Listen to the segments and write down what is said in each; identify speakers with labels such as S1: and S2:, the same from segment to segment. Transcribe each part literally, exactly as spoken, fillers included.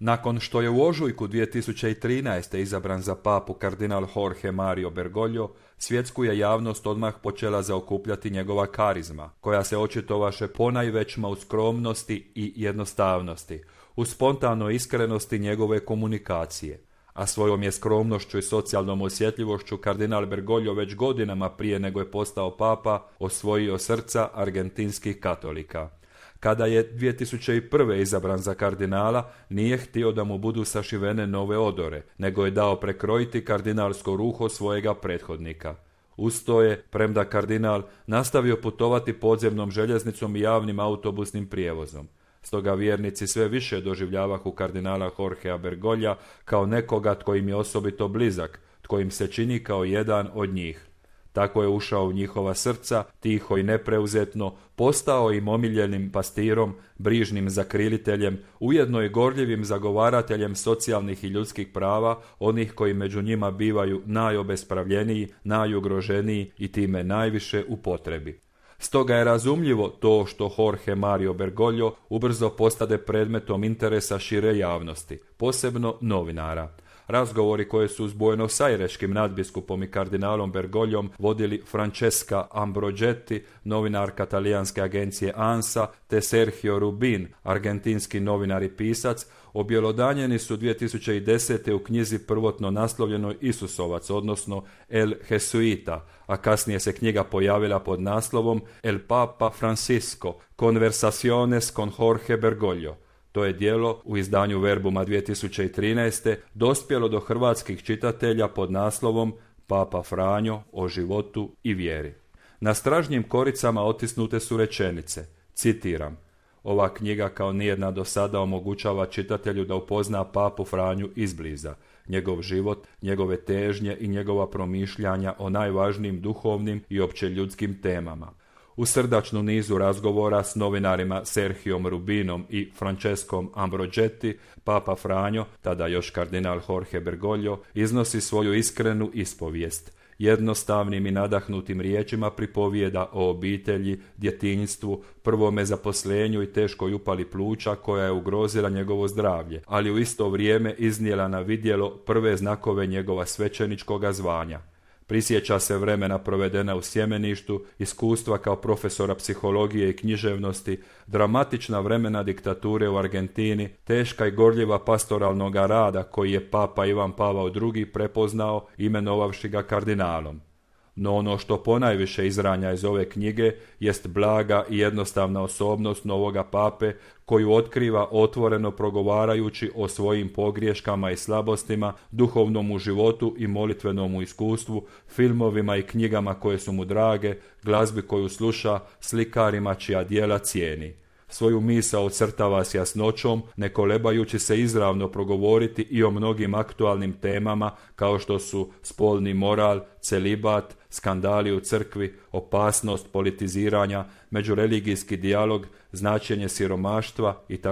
S1: Nakon što je u ožujku dvije tisuće trinaeste. izabran za papu kardinal Jorge Mario Bergoglio, svjetsku je javnost odmah počela zaokupljati njegova karizma, koja se očitovaše ponajvećma u skromnosti i jednostavnosti, u spontanoj iskrenosti njegove komunikacije. A svojom je skromnošću i socijalnom osjetljivošću kardinal Bergoglio već godinama prije nego je postao papa osvojio srca argentinskih katolika. Kada je dvije tisuće prve. izabran za kardinala, nije htio da mu budu sašivene nove odore, nego je dao prekrojiti kardinalsko ruho svojega prethodnika. Uz to je, premda kardinal, nastavio putovati podzemnom željeznicom i javnim autobusnim prijevozom. Stoga vjernici sve više doživljavahu kardinala Jorgea Bergoglija kao nekoga tko im je osobito blizak, tko im se čini kao jedan od njih. Tako je ušao u njihova srca, tiho i nepreuzetno, postao im omiljenim pastirom, brižnim zakriliteljem, ujedno i gorljivim zagovarateljem socijalnih i ljudskih prava, onih koji među njima bivaju najobespravljeniji, najugroženiji i time najviše u potrebi. Stoga je razumljivo to što Jorge Mario Bergoglio ubrzo postade predmetom interesa šire javnosti, posebno novinara. Razgovori koje su s buenosaireskim nadbiskupom i kardinalom Bergogliom vodili Francesca Ambrogetti, novinarka talijanske agencije ANSA, te Sergio Rubin, argentinski novinar i pisac, objelodanjeni su dvije tisuće desete. u knjizi prvotno naslovljenoj Isusovac, odnosno El Jesuita, a kasnije se knjiga pojavila pod naslovom El Papa Francisco, Conversaciones con Jorge Bergoglio. To je djelo u izdanju Verbuma dvije tisuće trinaeste. dospjelo do hrvatskih čitatelja pod naslovom Papa Franjo o životu i vjeri. Na stražnjim koricama otisnute su rečenice, citiram: ova knjiga kao nijedna do sada omogućava čitatelju da upozna papu Franju izbliza, njegov život, njegove težnje i njegova promišljanja o najvažnijim duhovnim i opće ljudskim temama. U srdačnu nizu razgovora s novinarima Sergiom Rubinom i Francescom Ambrogetti, papa Franjo, tada još kardinal Jorge Bergoglio, iznosi svoju iskrenu ispovijest. Jednostavnim i nadahnutim riječima pripovijeda o obitelji, djetinjstvu, prvome zaposlenju i teškoj upali pluća koja je ugrozila njegovo zdravlje, ali u isto vrijeme iznijela na vidjelo prve znakove njegova svećeničkoga zvanja. Prisjeća se vremena provedena u sjemeništu, iskustva kao profesora psihologije i književnosti, dramatična vremena diktature u Argentini, teška i gorljiva pastoralnoga rada koji je papa Ivan Pavao drugi. prepoznao imenovavši ga kardinalom. No ono što ponajviše izranja iz ove knjige jest blaga i jednostavna osobnost novoga pape koju otkriva otvoreno progovarajući o svojim pogriješkama i slabostima, duhovnom životu i molitvenom iskustvu, filmovima i knjigama koje su mu drage, glazbi koju sluša, slikarima čija djela cijeni. Svoju misao ocrtava s jasnoćom, ne kolebajući se izravno progovoriti i o mnogim aktualnim temama kao što su spolni moral, celibat, skandali u crkvi, opasnost politiziranja, međureligijski dijalog, značenje siromaštva itd.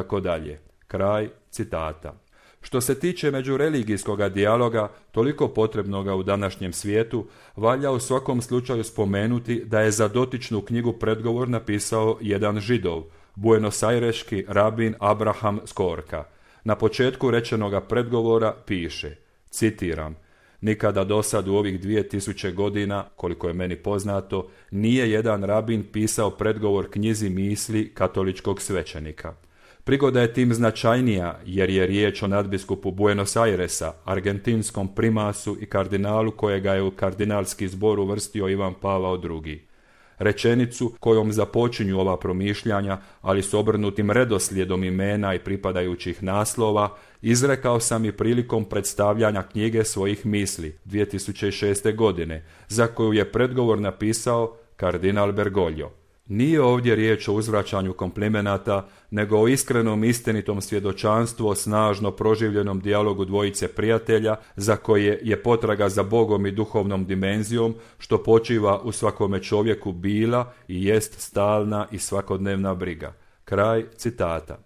S1: Kraj citata. Što se tiče međureligijskoga dijaloga, toliko potrebnoga u današnjem svijetu, valja u svakom slučaju spomenuti da je za dotičnu knjigu predgovor napisao jedan Židov, buenosaireski rabin Abraham Skorka. Na početku rečenoga predgovora piše, citiram: nikada dosad u ovih dvije tisuće godina, koliko je meni poznato, nije jedan rabin pisao predgovor knjizi misli katoličkog svećenika. Prigoda je tim značajnija jer je riječ o nadbiskupu Buenos Airesa, argentinskom primasu i kardinalu kojega je u kardinalski zbor uvrstio Ivan Pavao drugi. Rečenicu kojom započinju ova promišljanja, ali s obrnutim redoslijedom imena i pripadajućih naslova, izrekao sam i prilikom predstavljanja knjige svojih misli dvije tisuće šeste. godine, za koju je predgovor napisao kardinal Bergoglio. Nije ovdje riječ o uzvraćanju komplimenata, nego o iskrenom istinitom svjedočanstvu o snažno proživljenom dijalogu dvojice prijatelja, za koje je potraga za Bogom i duhovnom dimenzijom, što počiva u svakome čovjeku bila i jest stalna i svakodnevna briga. Kraj citata.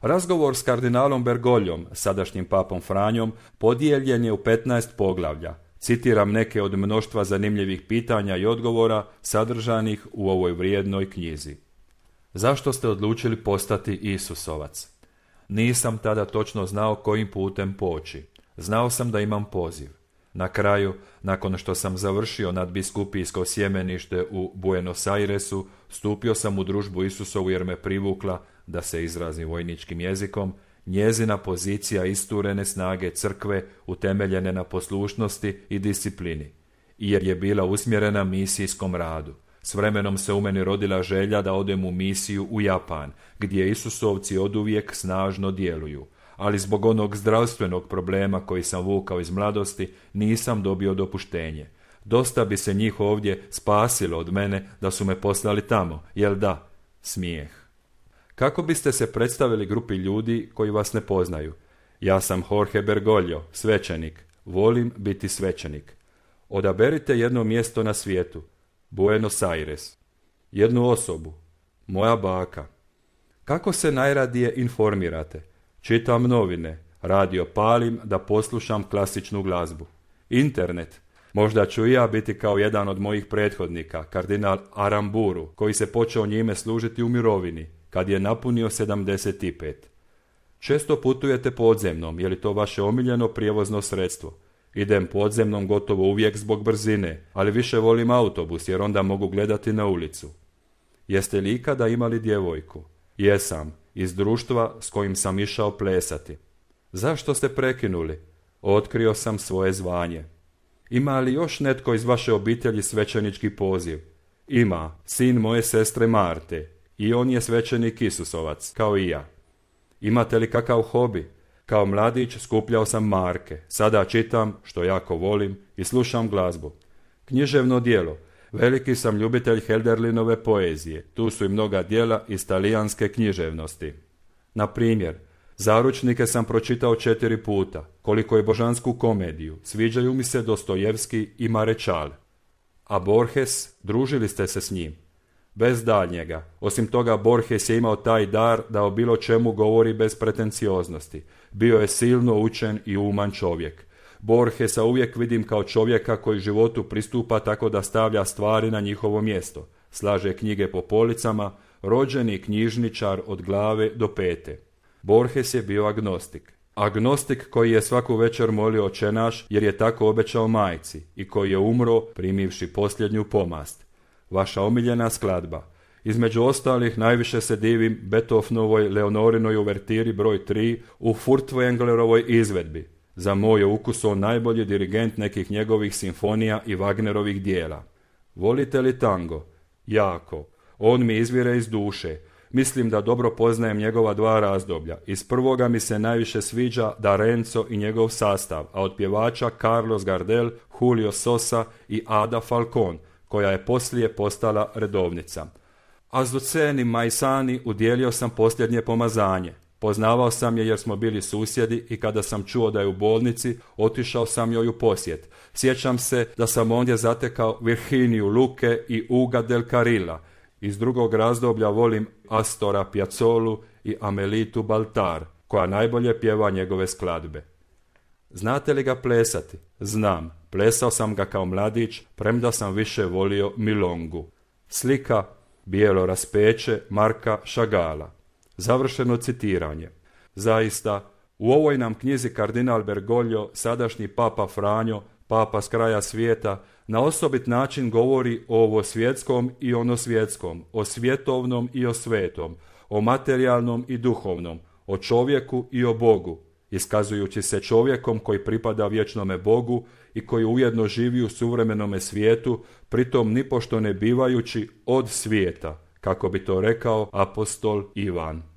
S1: Razgovor s kardinalom Bergogliom, sadašnjim papom Franjom, podijeljen je u petnaest poglavlja. Citiram neke od mnoštva zanimljivih pitanja i odgovora sadržanih u ovoj vrijednoj knjizi. Zašto ste odlučili postati Isusovac? Nisam tada točno znao kojim putem poći. Znao sam da imam poziv. Na kraju, nakon što sam završio nadbiskupijsko sjemenište u Buenos Airesu, stupio sam u družbu Isusovu jer me privukla, da se izrazim vojničkim jezikom, njezina pozicija isturene snage crkve utemeljene na poslušnosti i disciplini, i jer je bila usmjerena misijskom radu. S vremenom se u meni rodila želja da odem u misiju u Japan, gdje Isusovci oduvijek snažno djeluju, ali zbog onog zdravstvenog problema koji sam vukao iz mladosti nisam dobio dopuštenje. Dosta bi se njih ovdje spasilo od mene da su me poslali tamo, jel da? Smijeh. Kako biste se predstavili grupi ljudi koji vas ne poznaju? Ja sam Jorge Bergoglio, svećenik. Volim biti svećenik. Odaberite jedno mjesto na svijetu. Buenos Aires. Jednu osobu. Moja baka. Kako se najradije informirate? Čitam novine. Radio palim da poslušam klasičnu glazbu. Internet. Možda ću i ja biti kao jedan od mojih prethodnika, kardinal Aramburu, koji se počeo njime služiti u mirovini, kad je napunio sedamdeset pet. Često putujete podzemnom, je li to vaše omiljeno prijevozno sredstvo? Idem podzemnom gotovo uvijek zbog brzine, ali više volim autobus jer onda mogu gledati na ulicu. Jeste li ikada imali djevojku? Jesam, iz društva s kojim sam išao plesati. Zašto ste prekinuli? Otkrio sam svoje zvanje. Ima li još netko iz vaše obitelji svećenički poziv? Ima, sin moje sestre Marte, i on je svećenik Isusovac, kao i ja. Imate li kakav hobi? Kao mladić skupljao sam marke, sada čitam, što jako volim, i slušam glazbu. Književno djelo. Veliki sam ljubitelj Hölderlinove poezije, tu su i mnoga djela iz talijanske književnosti. Na primjer, Zaručnike sam pročitao četiri puta, koliko je božansku komediju, sviđaju mi se Dostojevski i Marečal. A Borges, družili ste se s njim? Bez daljnjega. Osim toga, Borges je imao taj dar da o bilo čemu govori bez pretencioznosti. Bio je silno učen i uman čovjek. Borgesa uvijek vidim kao čovjeka koji životu pristupa tako da stavlja stvari na njihovo mjesto. Slaže knjige po policama, rođeni knjižničar od glave do pete. Borges je bio agnostik. Agnostik koji je svaku večer molio Oče naš jer je tako obećao majci i koji je umro primivši posljednju pomast. Vaša omiljena skladba. Između ostalih najviše se divim Beethovenovoj Leonorinoj uvertiri broj tri u Furtwänglerovoj izvedbi. Za moj ukus on najbolji dirigent nekih njegovih simfonija i Wagnerovih dijela. Volite li tango? Jako. On mi izvire iz duše. Mislim da dobro poznajem njegova dva razdoblja. Iz prvoga mi se najviše sviđa D'Arenzo i njegov sastav, a od pjevača Carlos Gardel, Julio Sosa i Ada Falcón, koja je poslije postala redovnica. Azuceni Maisani udjelio sam posljednje pomazanje. Poznavao sam je jer smo bili susjedi i kada sam čuo da je u bolnici, otišao sam joj u posjet. Sjećam se da sam ondje zatekao Virginiju Luque i Uga del Carrila. Iz drugog razdoblja volim Astora Piazzolu i Amelitu Baltar, koja najbolje pjeva njegove skladbe. Znate li ga plesati? Znam. Plesao sam ga kao mladić, premda sam više volio milongu. Slika Bijelo raspeće Marka Šagala. Završeno citiranje. Zaista, u ovoj nam knjizi kardinal Bergoglio, sadašnji papa Franjo, papa s kraja svijeta, na osobit način govori o ovo svjetskom i ono svjetskom, o svjetovnom i o svetom, o materijalnom i duhovnom, o čovjeku i o Bogu, iskazujući se čovjekom koji pripada vječnome Bogu i koji ujedno živi u suvremenome svijetu, pritom nipošto ne bivajući od svijeta, kako bi to rekao apostol Ivan.